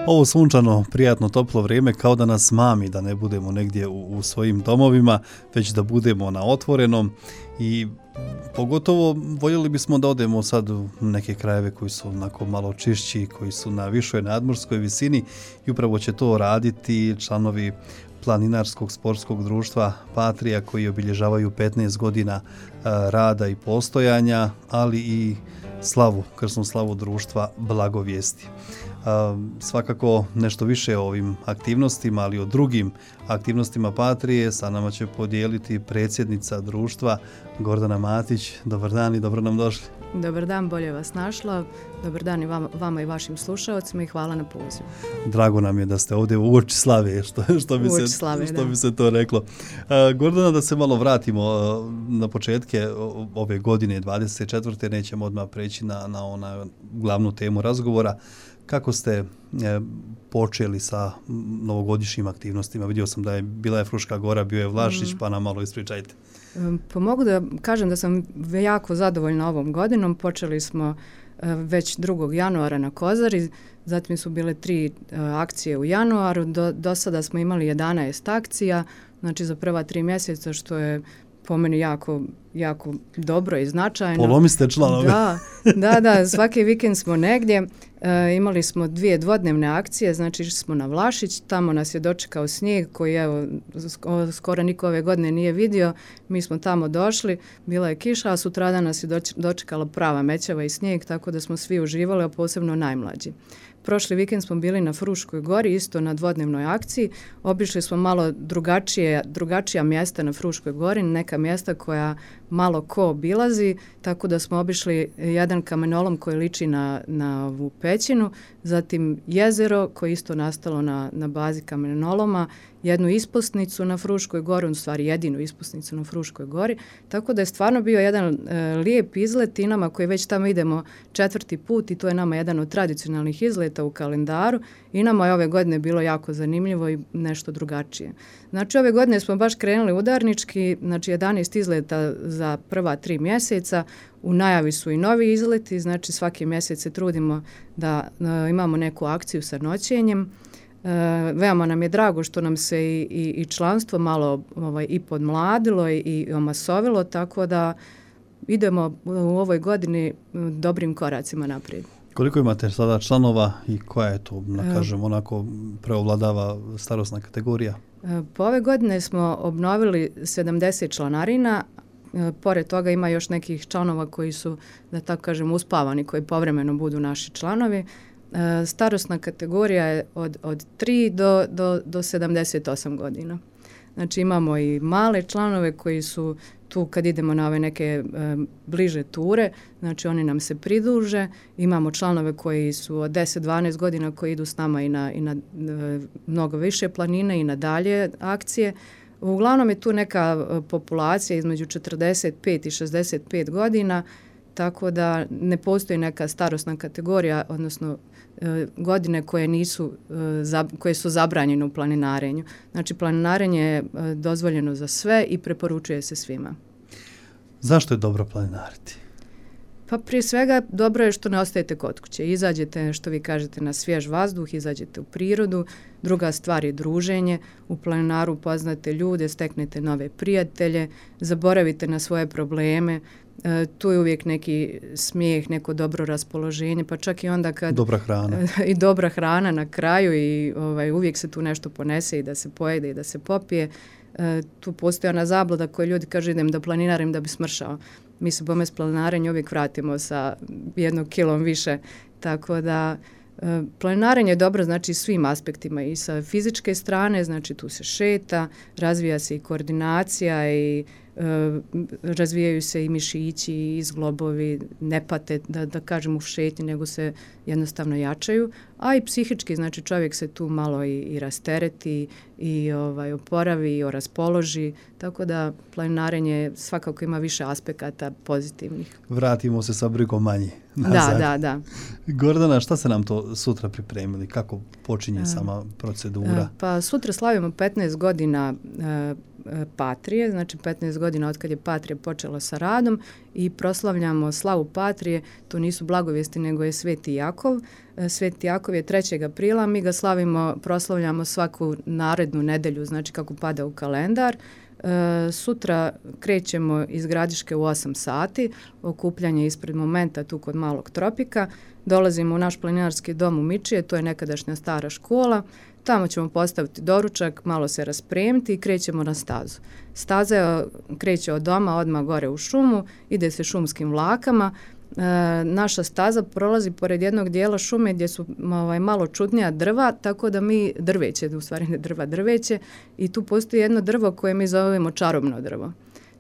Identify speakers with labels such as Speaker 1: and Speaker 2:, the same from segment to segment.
Speaker 1: Ovo sunčano, prijatno, toplo vrijeme kao da nas mami, da ne budemo negdje u svojim domovima, već da budemo na otvorenom i pogotovo voljeli bismo da odemo sad u neke krajeve koji su onako malo čišći, koji su na višoj nadmorskoj visini i upravo će to raditi članovi Planinarskog sportskog društva Patrija koji obilježavaju 15 godina rada i postojanja, ali i krsnu slavu društva Blagovijesti. Svakako nešto više o ovim aktivnostima, ali o drugim aktivnostima Patrije sa nama će podijeliti predsjednica društva Gordana Matić. Dobar dan i dobro nam došli.
Speaker 2: Dobar dan, bolje vas našla. Dobar dan i vama i vašim slušalcima i hvala na pozivu.
Speaker 1: Drago nam je da ste ovdje u uoči slave, što bi se to reklo. Gordana, da se malo vratimo na početke ove godine 24. Nećemo odmah preći na ona glavnu temu razgovora. Kako ste počeli sa novogodišnjim aktivnostima? Vidio sam da je bila Fruška Gora, bio je Vlašić, pa nam malo ispričajte.
Speaker 2: Pa mogu da kažem da sam jako zadovoljna ovom godinom. Počeli smo već 2. januara na Kozari, zatim su bile 3 akcije u januaru, do sada smo imali 11 akcija, znači za prva 3 mjeseca, što je po meni jako dobro i značajno.
Speaker 1: Polomiste članovi.
Speaker 2: Da, svaki vikend smo negdje. Imali smo 2 dvodnevne akcije, znači išli smo na Vlašić, tamo nas je dočekao snijeg koji skoro niko ove godine nije vidio. Mi smo tamo došli, bila je kiša, a sutradan nas je dočekala prava mećava i snijeg, tako da smo svi uživali, a posebno najmlađi. Prošli vikend smo bili na Fruškoj Gori, isto na dvodnevnoj akciji. Obišli smo malo drugačija mjesta na Fruškoj Gori, neka mjesta koja malo ko obilazi, tako da smo obišli jedan kamenolom koji liči na ovu pećinu, zatim jezero koje isto nastalo na bazi kamenoloma, jednu ispusnicu na Fruškoj Gori, u stvari jedinu ispusnicu na Fruškoj Gori, tako da je stvarno bio jedan lijep izlet i nama koji već tamo idemo 4. put i to je nama jedan od tradicionalnih izleta u kalendaru i nama je ove godine bilo jako zanimljivo i nešto drugačije. Znači ove godine smo baš krenuli udarnički, znači 11 izleta za prva 3 mjeseca, u najavi su i novi izleti, znači svaki mjesec se trudimo da imamo neku akciju sa noćenjem. Veoma nam je drago što nam se i članstvo malo i podmladilo i omasovilo, tako da idemo u ovoj godini dobrim koracima naprijed.
Speaker 1: Koliko imate sada članova i koja je to, kažem, onako preovladava starosna kategorija?
Speaker 2: Po ove godine smo obnovili 70 članarina, pored toga ima još nekih članova koji su, da tako kažem, uspavani, koji povremeno budu naši članovi. Starosna kategorija je od 3 do 78 godina. Znači imamo i male članove koji su tu kad idemo na ove neke bliže ture, znači oni nam se pridruže. Imamo članove koji su od 10-12 godina koji idu s nama i na mnogo više planine i na dalje akcije. Uglavnom je tu neka populacija između 45 i 65 godina, tako da ne postoji neka starosna kategorija, odnosno godine koje su zabranjene u planinarenju. Znači planinarenje je dozvoljeno za sve i preporučuje se svima.
Speaker 1: Zašto je dobro planinariti?
Speaker 2: Pa prije svega dobro je što ne ostajete kod kuće. Izađete, što vi kažete, na svjež vazduh, izađete u prirodu. Druga stvar je druženje. U planinaru upoznate ljude, steknete nove prijatelje, zaboravite na svoje probleme. Tu je uvijek neki smijeh, neko dobro raspoloženje, pa čak i onda kad...
Speaker 1: Dobra hrana.
Speaker 2: I dobra hrana na kraju i uvijek se tu nešto ponese i da se pojede i da se popije. Tu postoji ona zabluda koju ljudi kažu idem da planinarim da bi smršao. Mi se bome s planinarenjem uvijek vratimo sa 1 kilom više, tako da planinarenje je dobro znači svim aspektima i sa fizičke strane, znači tu se šeta, razvija se i koordinacija i razvijaju se i mišići i zglobovi, ne pate da kažem u šetnji, nego se jednostavno jačaju, a i psihički, znači čovjek se tu malo i rastereti i oporavi i raspoloži, tako da planinarenje svakako ima više aspekata pozitivnih.
Speaker 1: Vratimo se sa brigom manje.
Speaker 2: Da.
Speaker 1: Gordana, šta se nam to sutra pripremili? Kako počinje sama procedura?
Speaker 2: Pa sutra slavimo 15 godina Patrije, znači 15 godina od kad je Patrija počela sa radom i proslavljamo slavu Patrije, to nisu blagovijesti nego je Sveti Jakov. Sveti Jakov je 3. aprila, mi ga proslavljamo svaku narednu nedelju, znači kako pada u kalendar. Sutra krećemo iz Gradiške u 8 sati, okupljanje ispred Momenta tu kod Malog Tropika, dolazimo u naš planinarski dom u Mičije, to je nekadašnja stara škola, tamo ćemo postaviti doručak, malo se raspremiti i krećemo na stazu. Staza kreće od doma odmah gore u šumu, ide se šumskim vlakama. Naša staza prolazi pored jednog dijela šume gdje su malo čudnija drva, tako da mi drveće, u stvari ne drveće, i tu postoji jedno drvo koje mi zovemo čarobno drvo.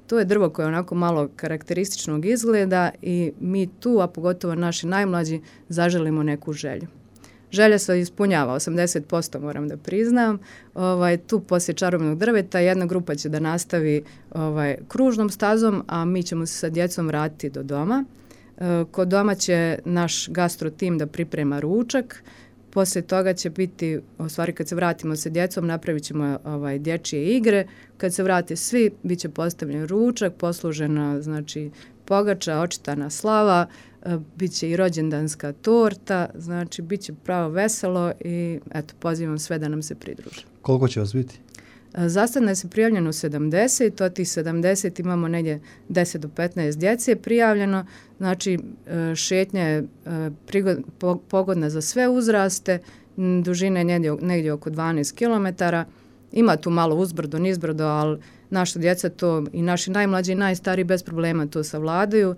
Speaker 2: To je drvo koje je onako malo karakterističnog izgleda i mi tu, a pogotovo naši najmlađi, zaželimo neku želju. Želja se ispunjava, 80% moram da priznam. Tu poslije čarobnog drveta jedna grupa će da nastavi kružnom stazom, a mi ćemo se sa djecom vratiti do doma. Kod doma će naš gastro tim da priprema ručak. Poslije toga će biti, u stvari kad se vratimo sa djecom, napravit ćemo dječje igre. Kad se vrate svi, bit će postavljen ručak, poslužena znači pogača, očitana slava, bit će i rođendanska torta, znači bit će pravo veselo i eto, pozivam sve da nam se pridruže.
Speaker 1: Koliko će vas biti?
Speaker 2: Za sad nas je prijavljeno 70, od tih 70 imamo negdje 10 do 15 djece prijavljeno, znači šetnja je pogodna za sve uzraste, dužina je negdje oko 12 km, ima tu malo uzbrdo, nizbrdo, ali naša djeca to i naši najmlađi i najstariji bez problema to savladaju,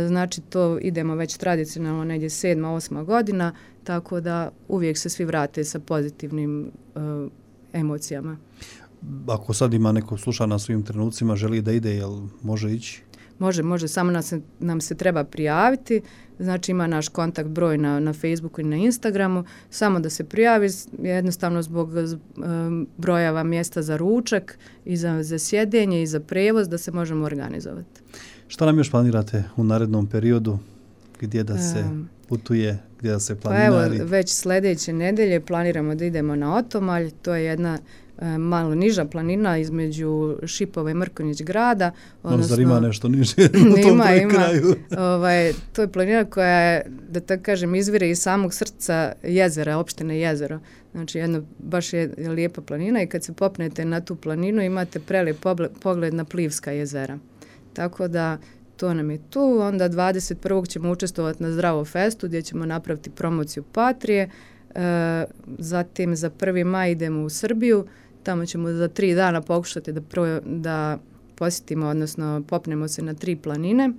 Speaker 2: znači to idemo već tradicionalno negdje 7. 8. godina, tako da uvijek se svi vrate sa pozitivnim emocijama.
Speaker 1: Ako sad ima neko sluša na svim trenucima, želi da ide, jel može ići?
Speaker 2: Može, samo nam se treba prijaviti, znači ima naš kontakt broj na Facebooku i na Instagramu, samo da se prijavi, jednostavno zbog brojeva mjesta za ručak i za sjedenje i za prevoz da se možemo organizovati.
Speaker 1: Šta nam još planirate u narednom periodu, gdje da se putuje, gdje da se planinari?
Speaker 2: Pa evo, već sljedeće nedelje planiramo da idemo na Otomalj, to je jedna malo niža planina između Šipova i Mrkonjić grada.
Speaker 1: Zar ima nešto niže u tom kraju?
Speaker 2: To je planina koja je, da tako kažem, izvire iz samog srca jezera, opštine Jezero. Znači, baš je lijepa planina i kad se popnete na tu planinu imate prelijep pogled na Plivska jezera. Tako da to nam je tu. Onda 21. ćemo učestvovati na Zdravo festu gdje ćemo napraviti promociju Patrije. Zatim za 1. maj idemo u Srbiju. Tamo ćemo za 3 dana pokušati da posjetimo, odnosno popnemo se na 3 planine.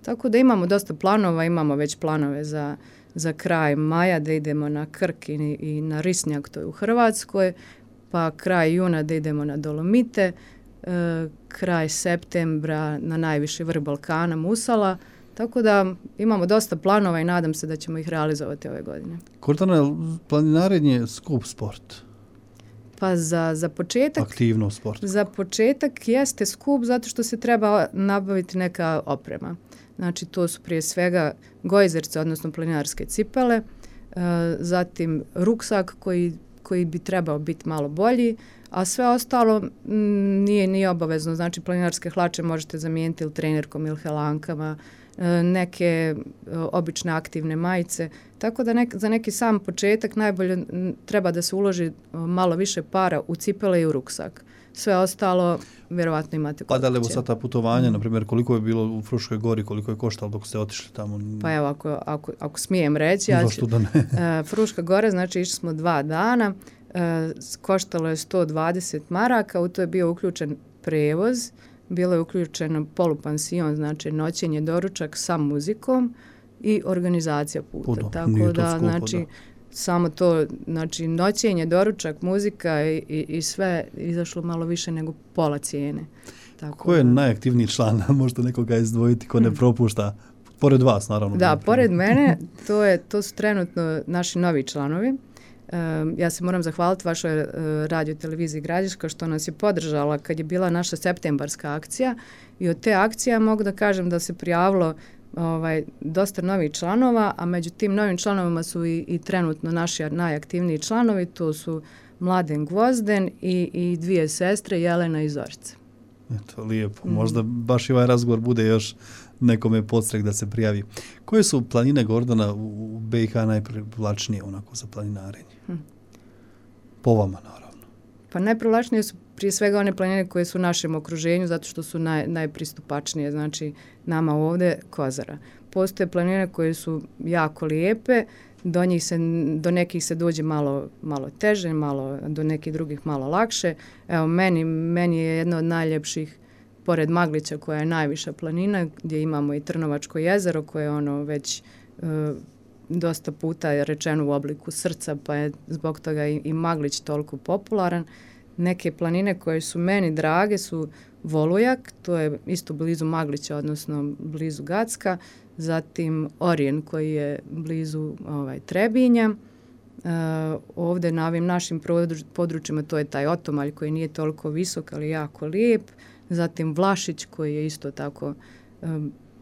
Speaker 2: Tako da imamo dosta planova, imamo već planove za kraj maja da idemo na Krk i na Risnjak, to je u Hrvatskoj, pa kraj juna da idemo na Dolomite, kraj septembra na najviši vrh Balkana, Musala. Tako da imamo dosta planova i nadam se da ćemo ih realizovati ove godine.
Speaker 1: Gordana, planinarenje skup sport?
Speaker 2: Pa za početak...
Speaker 1: Aktivno sport.
Speaker 2: Za početak jeste skup zato što se treba nabaviti neka oprema. Znači to su prije svega gojzerce, odnosno planinarske cipele, zatim ruksak koji bi trebao biti malo bolji, a sve ostalo nije obavezno. Znači planinarske hlače možete zamijeniti ili trenerkom ili helankama, neke obične aktivne majice. Tako da za neki sam početak najbolje treba da se uloži malo više para u cipele i u ruksak. Sve ostalo vjerovatno imate kod kuće.
Speaker 1: Pa da li sad ta putovanja, na primjer, koliko je bilo u Fruškoj gori, koliko je koštalo dok ste otišli tamo?
Speaker 2: Pa evo, ako smijem reći, Fruška gora, znači išli smo 2 dana, koštalo je 120 maraka, u to je bio uključen prevoz, bilo je uključeno polupansion, znači noćenje, doručak sa muzikom i organizacija puta. Tako da, znači, samo to, znači noćenje, doručak, muzika i sve izašlo malo više nego pola cijene. Tako
Speaker 1: ko je najaktivniji član? Možete nekoga izdvojiti ko ne propušta? Pored vas, naravno.
Speaker 2: Da, pored mene, to su trenutno naši novi članovi. Ja se moram zahvaliti vašoj radio televiziji Gradiška što nas je podržala kad je bila naša septembarska akcija i od te akcije mogu da kažem da se prijavilo dosta novih članova, a među tim novim članovima su i trenutno naši najaktivniji članovi, to su Mladen Gvozden i dvije sestre, Jelena i Zorica.
Speaker 1: Eto, lijepo. Možda baš i ovaj razgovor bude još nekome podstrek da se prijavi. Koje su planine, Gordana, u BiH najprivlačnije onako za planinarenje? Po vama, naravno.
Speaker 2: Pa najprivlačnije su prije svega one planine koje su u našem okruženju, zato što su najpristupačnije, znači nama ovdje Kozara. Postoje planine koje su jako lijepe, do nekih se dođe malo teže, do nekih drugih malo lakše. Evo, meni je jedna od najljepših, pored Maglića koja je najviša planina, gdje imamo i Trnovačko jezero koje je ono već dosta puta je rečeno u obliku srca, pa je zbog toga i Maglić toliko popularan. Neke planine koje su meni drage su Volujak, to je isto blizu Maglića, odnosno blizu Gacka, zatim Orijen koji je blizu Trebinja. Ovdje na ovim našim područjima to je taj Otomalj koji nije toliko visok, ali jako lijep. Zatim Vlašić koji je isto tako,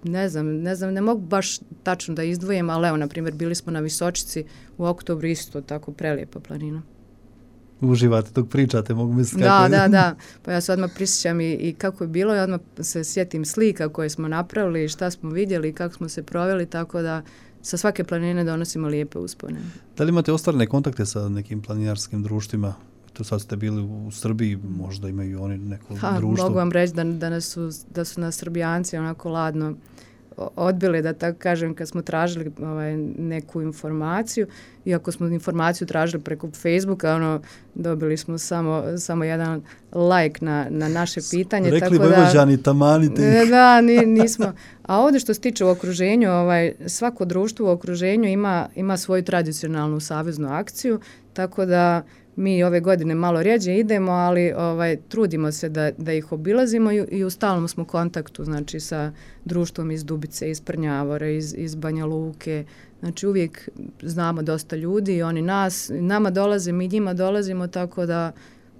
Speaker 2: ne znam, ne mogu baš tačno da izdvojim, ali evo, na primjer, bili smo na Visočici u oktobru, isto tako prelijepa planina.
Speaker 1: Uživate dok pričate, mogu misliti
Speaker 2: kako
Speaker 1: je.
Speaker 2: Da. Pa ja se odmah prisjećam i kako je bilo i odmah se sjetim slika koje smo napravili i šta smo vidjeli i kako smo se proveli, tako da sa svake planine donosimo lijepe uspomene.
Speaker 1: Da li imate ostvarene kontakte sa nekim planinarskim društvima? To sad ste bili u Srbiji, možda imaju oni neko društvo.
Speaker 2: Mogu vam reći da su nas Srbijanci onako ladno odbili, da tako kažem, kad smo tražili neku informaciju, iako smo informaciju tražili preko Facebooka, dobili smo samo jedan like na naše pitanje.
Speaker 1: Rekli Vojvođani, tamanite.
Speaker 2: Da, nismo. A ovdje što se tiče u okruženju, svako društvo u okruženju ima svoju tradicionalnu saveznu akciju, tako da mi ove godine malo rjeđe idemo, ali trudimo se da ih obilazimo i u stalnom smo kontaktu, znači sa društvom iz Dubice, iz Prnjavora, iz Banja Luke. Znači uvijek znamo dosta ljudi i oni nama dolaze, mi njima dolazimo, tako da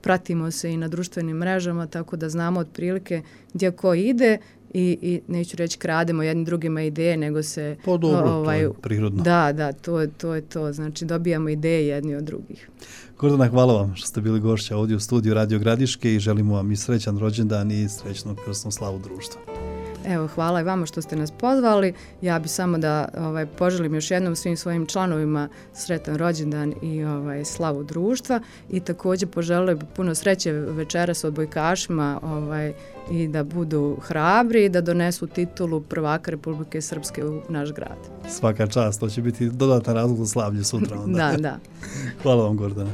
Speaker 2: pratimo se i na društvenim mrežama, tako da znamo otprilike gdje ko ide i neću reći krademo jednim drugima ideje, nego se...
Speaker 1: Pa dobro, to je prirodno.
Speaker 2: Da, to je to. Znači dobijamo ideje jedni od drugih.
Speaker 1: Gordana, hvala vam što ste bili gošća ovdje u studiju Radio Gradiške i želimo vam i srećan rođendan i srećnu krsnu slavu društva.
Speaker 2: Evo, hvala i vama što ste nas pozvali. Ja bi samo da poželim još jednom svim svojim članovima sretan rođendan i slavu društva i također poželim puno sreće večeras odbojkašima i da budu hrabri i da donesu titulu prvaka Republike Srpske u naš grad.
Speaker 1: Svaka čast, to će biti dodatan razlog za slavlje sutra onda.
Speaker 2: Da.
Speaker 1: Hvala vam, Gordana.